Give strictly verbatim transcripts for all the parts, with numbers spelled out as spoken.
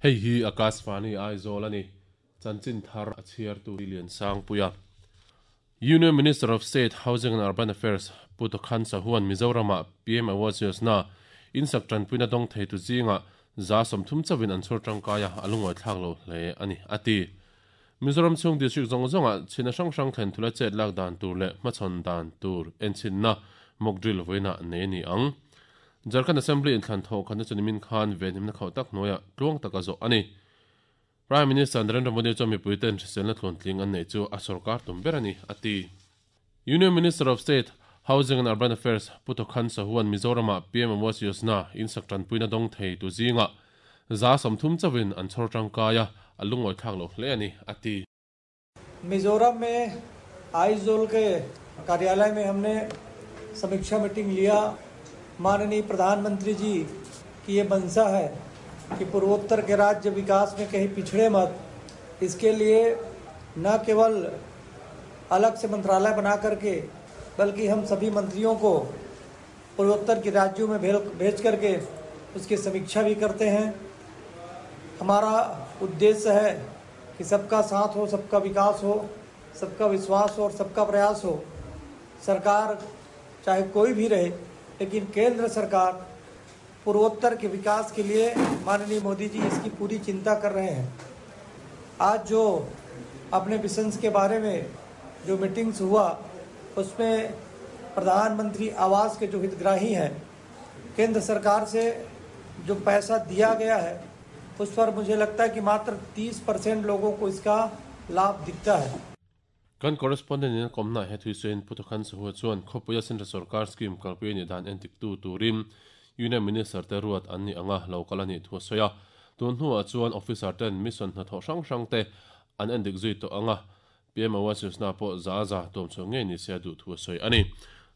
Hei hi Akashvani Aizawl ani chanchin thar a chhiar tu lian sang puia Union Minister of State Housing and Urban Affairs Pu Tokhan Sahu-an Mizorama P M Awas Yojana insak tanpuina dawng thei tu zinga za sawmthum chawin an chhawr tangkaia a lungawi thlak lo hle ani ati Mizoram chung district zawng zawnga chhina hrang hrang thlen thula chet lak dan tur leh hmachhawn dan tur enchinna mock drill vawiina nei ni ang Jharkhand Assembly in thlan thaw khan chu nimin khan venhimna khauh tak hnuaiah tluang taka zawh ani Prime Minister Narendra Modi chu mipui ten hriselna thlawn tling an nei chu a sarkar tum ber ani ati Union Minister of State Housing and Urban Affairs Pu Tokhan Sahu-an Mizorama P M Awas Yojana insak tanpuina dawng thei tu zinga za sawmthum chawin an chhawr tangkaia a lungawi thlak lo hle ani ati Mizoram में आइजोल के कार्यालय में हमने समीक्षा meeting लिया। माननीय प्रधानमंत्री जी की ये मंशा है कि पूर्वोत्तर के राज्य विकास में कहीं पिछड़े मत, इसके लिए न केवल अलग से मंत्रालय बना करके बल्कि हम सभी मंत्रियों को पूर्वोत्तर के राज्यों में भेज करके उसकी समीक्षा भी करते हैं। हमारा उद्देश्य है कि सबका साथ हो, सबका विकास हो, सबका विश्वास हो और सबका प्रयास हो। सरकार चाहे कोई भी रहे, लेकिन केंद्र सरकार पूर्वोत्तर के विकास के लिए माननीय मोदी जी इसकी पूरी चिंता कर रहे हैं। आज जो अपने मिशंस के बारे में जो मीटिंग्स हुआ, उसमें प्रधानमंत्री आवास के जो हितग्राही हैं, केंद्र सरकार से जो पैसा दिया गया है उस पर मुझे लगता है कि मात्र तीस परसेंट लोगों को इसका लाभ दिखता है। Kan correspondent in komna he thuisen Pu Tokhan Sahu chuan khopuia central sarkar scheme kalpui ni dan entik tu turin Union Minister te ruat an ni anga local ani thu soya tun hnuah chuan officer ten mission hna thaw hrang hrang te an endik zui to anga P M Awas Yojana pawh za za tuam chu ngei ni sia duh thu soi ani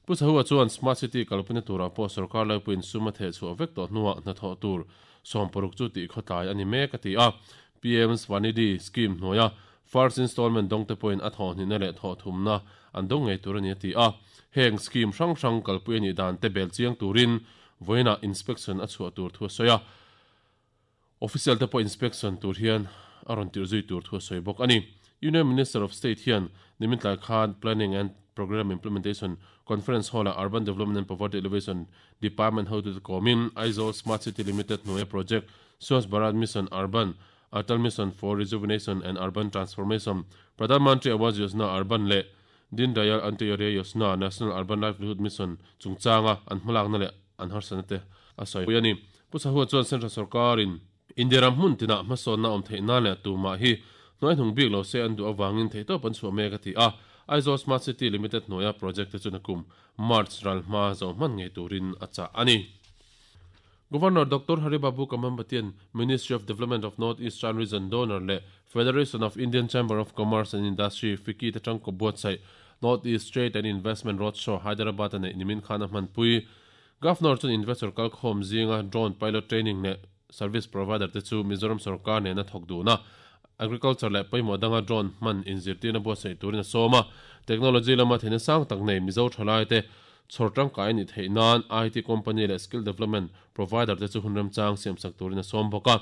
Pu Sahu chuan smart city kalpuna tura pawh sarkar laipuin suma the chu vek to hnuah hna thaw tur sawmparuk chu ti khawtlai ani mek ati a P M Swanidhi scheme hnuaia first installment dong te point a thaw hni le thaw thumna an dong ngei tur ani ati a heng scheme hrang hrang kalpui ani dan te bel chiang turin voina inspection a chhuah tur thu soya official te pawh inspection tur hian a rawn tir zui tur thu soi bawk ani Union Minister of State hian nimin tlai khan Planning and Program Implementation Conference Hall a Urban Development and Poverty Alleviation Department hotu te komin Aizawl Smart City Limited hnuaia project Swachh Bharat Mission Urban Atal Mission for Rejuvenation and Urban Transformation Pradhan Mantri Awas Yojana Urban le Deen Dayal Antyodaya Yojana National Urban Livelihood Mission chungchanga an hmalakna le an harsana te a sawi pui ani Pu Sahu chuan Central Sarkarin India ram hmun tina hmasawnna awm theih nan leh tumah hi hnuai hnung bik lo se an duh awangin thei tawp an chhuah mek ati a Aizawl Smart City Limited hnuaia project te chu nakum March ral hma zo hman ngei turin a chah ani Governor Doctor Haribabu Kambhampatian Ministry of Development of North Eastern Region Donor le Federation of Indian Chamber of Commerce and Industry FICCI te tangko buatsaih North East Trade and Investment Roadshow Hyderabad ane nimin khan a hmanpui Governor chun investor kalkhawm zinga drone pilot training le service provider te chu Mizoram sarkar nena thawk duhna agriculture le pawimawh danga drone hman inzirtirna buatsaih turin a sawm a technology lama theihna sang tak nei Mizo thalai te chhawr tangkai ni theih nan I T company le skill development provider te chu hunram chang siam sak turin a sawm bawk a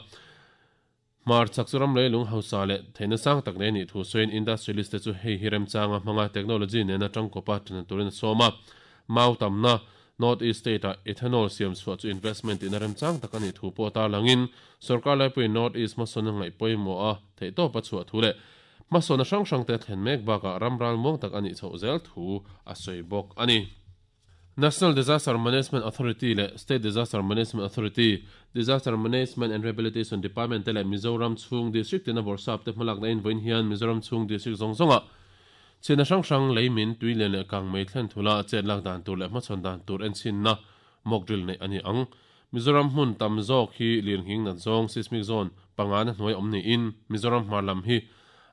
mar chak churam leilung hausa le theihna sang tak nei ni thu sawiin industrialist te chu hei hi rem changa hmanga technology nena tangkawpa ṭan turin a sawm a mau tamna North East State a ethanol siam chhuah chu investment in a rem chang tak ani thu pawh tar langin sarkar laipui North East hmasawn a ngaih pawimawh a theih tawp a chhuah thu leh hmasawn a hrang hrang te thlen mek bakah ramral muang tak ani chhoh zel thu a sawi bawk ani National Disaster Management Authority le State Disaster Management Authority Disaster Management and Rehabilitation Department te le Mizoram chung district tina borsap te hmalak na in vawiin hian Mizoram chung district zawng zawnga chhina hrang hrang leimin tui lian leh kang mei thlen thula chet lak dan tur leh hmachhawn dan tur enchinna mock drill nei ani ang Mizoram hmun tam zawk hi lirnghing nat zawng seismic zone panga na hnuai awm niin Mizoram hmar lam hi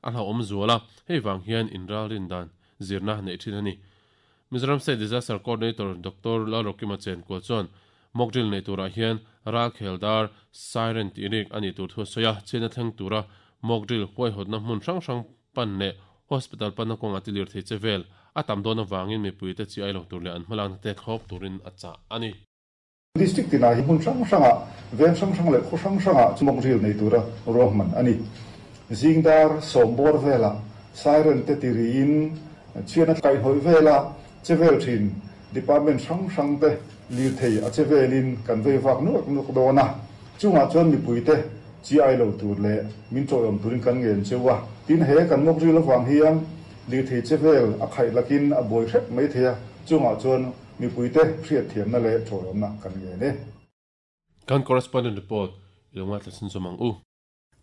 a hlau awm zuala hei vang hian inral rin dan zirna nei thin ani Mizoram State Disaster Coordinator Doctor Lalrokima Chenkual chuan mock drill nei turah hian ral kheldar siren tirik ani tur thu soya chhina thleng tura mock drill huaihawtna hmun hrang hrang pan leh hospital pan na kawnga tilir thei che vel a tam dawn awangin mipui te chi ai lo tur leh an hmalakna te thlawp turin a chah ani. District tina hi hmun hrang hranga veng hrang hrang leh khaw hrang hranga mock drill nei tura ruahman ani. Zingdar sawm bawr vela siren te tiriin chian a kai hoi vela chevel thin department hrang hrang te lir thei a chevelin kan vei vak nuak nuak dona chunga chuan mipui te chi ai lo tur le min toyom turin kan ngen chewa tin he kan mock drill awang hian lir thei chevel a khai lakin a boi hrep mai theia chunga chuan mipui te hriat thiam na le toyom na kan nge ne. Kan correspondent report ilonga tlasin zomang u.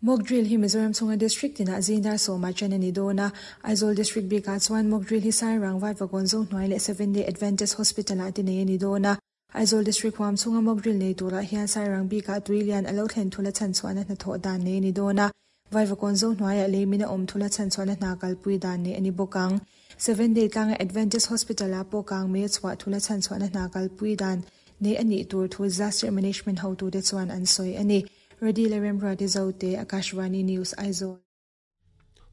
Mock drill hi Mizoram chunga district tina zingdar sawma chen ani dona. Aizawl district bika chuan mock drill hi Sairang Vaivakawn zo hnuai leh Seven Day Adventist Hospital ah te nei ani dona. Aizawl district huam chunga mock drill nei tura hian Sairang bika tuilian alo thlen thula chan chuan a hnathawh dan nei ani dona. Vaivakawn zo hnuai ah leimina awm thula chan chuan a hna kalpui dan nei ani bawk ang. Seven Day tlanga Adventist Hospital ah pawh kang me chhuah thula chan chuan a hna kalpui dan nei ani tur thu disaster management hotu te chuan an sawi ani. Ready le Remra Zote, Akashvani News, Aizawl.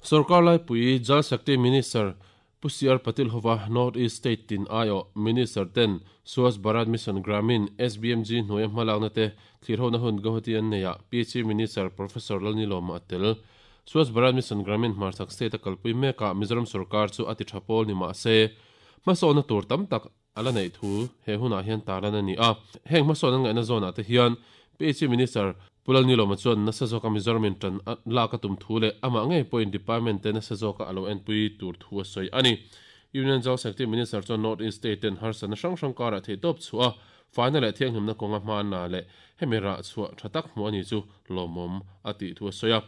Sarkar lai pui Jal Shakti Minister Pu C R Patil hova North East State tin ayo Minister ten Swachh Bharat Mission Gramin S B M G hnuai hmalakna te thlirhona hun Guwahati an neia P H E Minister Professor Lalnilawma atel. Swachh Bharat Mission Gramin hmarchak state a kalpui meka Mizoram sarkar chu ati thapol ni ma se hmasawna tur tam tak ala nei thu he hunah hian talan ani a. Heng hmasawna ngaihna zone ah te hian P H E Minister Lalnilawma chuan nasa zawka Mizoram in tan lak a tum thu leh amah ngei pawhin department te nasa zawka alo enpui tur thu a sawi ani. Union Jal Shakti Minister chuan North East State ten harsana hrang hrang karah thei tawp chhuah faina leh thianghlimna kawnga hmana leh hemi rah chhuah tha tak hmu ani chu lawmawm a tih thu a sawi a.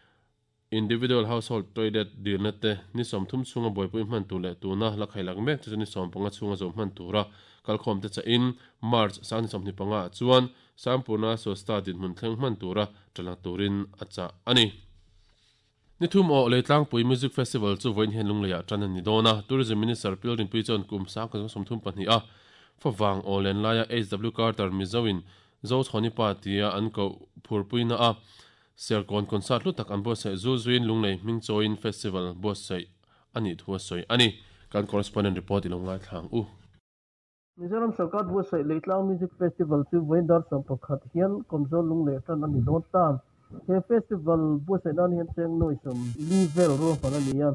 Individual household toilet dilna te ni sawmthum chhunga buaipui hman tur leh tuna la khailak mek chu ni sawm panga chhunga zawm hman tura kalkhawm te chain March sang ni sawmhnih panga chuan Sampurna Swastha dinhmun thleng hman tura tala turin a cha ani. Ni thum o Leitlangpui Music Festival chu vawiin hian lungleiah tan ani dawna. Tourism Minister Pi Rinpui chuan kum sang ka sawmthum pahnih a fawang o len laia H W Carter Mizoin zo chhawni pa tia an ko phurpuina a Serkawn concert hlu tak an buatsaih zul zuin lunglei hming chawiin festival buatsaih ani thu a sawi ani. Kan correspondent report ilongai thlang u. Mizoram sarkar buatsaih Leitlang Music Festival chu vawiin dar sawm pakhat hian Kawmzawl lunglei tan ani dawn ta. He festival buatsaih nan hian cheng nawi sawm li vel ruahman ani a.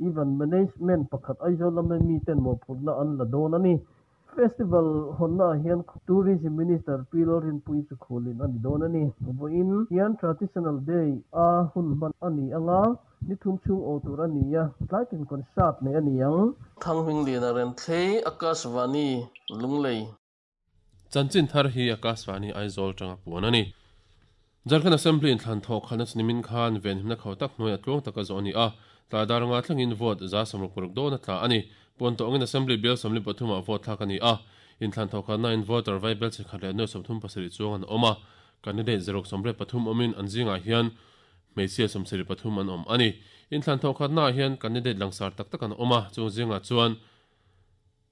Event management pakhat Aizawl lama mi ten mawhphurhna an la dawn ani. Festival honna hian Tourism Minister Pi Rinpui chu khulin ani dawn ani. Vawiin hian Traditional Day a hun hman ani anga ni thum chhung aw tur ani a. Tlaitin concert nei ani ang. Thanghming lian a ren thlei Akashvani Lunglei. Chanchin thar hi Akashvani Aizawl tanga puan ani. Jharkhand Assembly in thlan thawk khalna chunimin khan ven himna khau tak hnuai a tluang taka zawh ani a. Tla daranga thlengin vote za sawmruk paruk dawn a tla ani. Pawn tawngin Assembly bill sawmli pathumah vote thlak ani a. In thlan thawk khalna in voter vai bel chikhat leh nuai sawmthum pasarih chuang an awm a. Candidate zaruk sawmriat pathum awmin an zingah hian hmeichhia sawmsarih pathum an awm ani. In thlan thawk khalna hian candidate langsar tak tak an awm a. Chung zingah chuan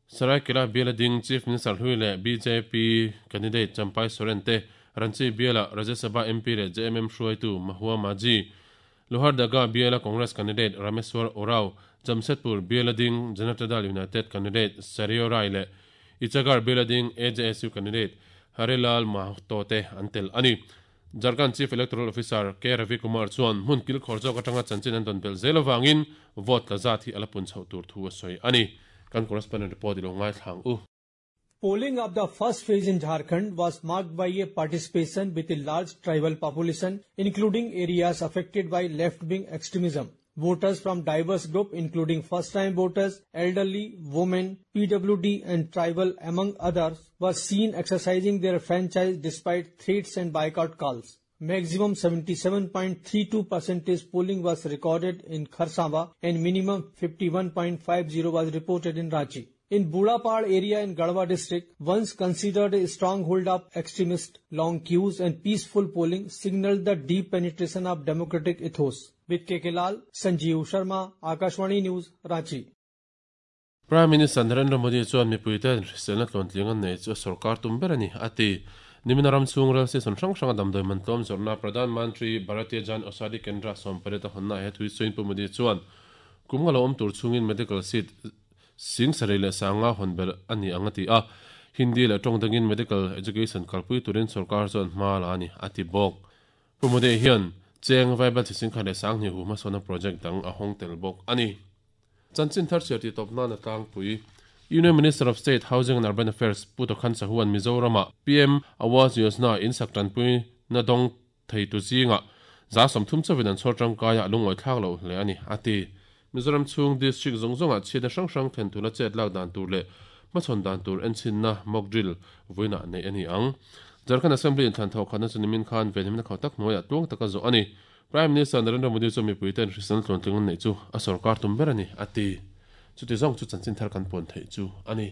Saraikela biala ding Chief Minister hlui leh B J P candidate Champai Soren te Ranchi biala Rajya Sabha M P leh J M M hruaitu Mahua Maji Lohardaga biala Congress candidate Rameshwar Orao Jamshedpur biala ding Janata Dal United candidate Sario Rai leh Ichagar biala ding A J S U candidate Harilal Mahato te an tel ani. Jharkhand Chief Electoral Officer K Ravi Kumar chuan hmun kil khawr zawk atanga chanchin an dawn bel zel awangin vote la zat hi ala pun chhoh tur thu a sawi ani. Kan correspondent report ilongai thlang u. Polling of the first phase in Jharkhand was marked by a participation with a large tribal population, including areas affected by left-wing extremism. Voters from diverse groups, including first-time voters, elderly, women, P W D and tribal, among others, were seen exercising their franchise despite threats and boycott calls. Maximum seventy-seven point three two percent polling was recorded in Kharsawa and minimum fifty-one point five zero was reported in Ranchi. In Budapal area in Garhwa district, once considered a stronghold of extremists, long queues and peaceful polling signaled the deep penetration of democratic ethos. With K K Lal, Sanjeev Sharma, Akashvani News, Ranchi. Prime Minister Narendra Modi chuan mipuite hriselna tluantling an nei chu sarkar tum ber ani ati. Niminaram chung ral se son hrang hrang damdoi man tlawm zawrhna Pradhan Mantri Bharatiya Jan Aushadhi Kendra sawmpariat a hawnna he thui chuin Pu Modi chuan kum nga lo awm tur chungin medical seat sing sarei leh sanga hawn ber ani ang ati a. Hindi le tong dangin medical education kalpui turin sarkar chuan hma la ani ati bawk. Pu Modi hian cheng vaibel chi sing kha le sang ni hu ma sona project dang a hong tel bawk ani. Chanchin thar cher ti top na na tlang pui Union Minister of State Housing and Urban Affairs Pu Tokhan Sahuan Mizorama P M Awas Yojana in saktan pui na dong thei tu zinga za som thum chawin an chhor tangkaya lungoi thlak lo hle ani ati. Mizoram chung district zong zonga chhina hrang hrang then thula chet lak dan tur le machon dan tur enchin na mock drill voina nei ani ang. Jharkhand Assembly in than tho khana chunimin khan venhim na khautak noya tuang taka zo ani. Prime Minister Narendra Modi chu mi puiten hrisal tlon tling nei chu a sarkar tum ber ani ati. Chuti zong chu chanchin thar kan pon thei chu ani.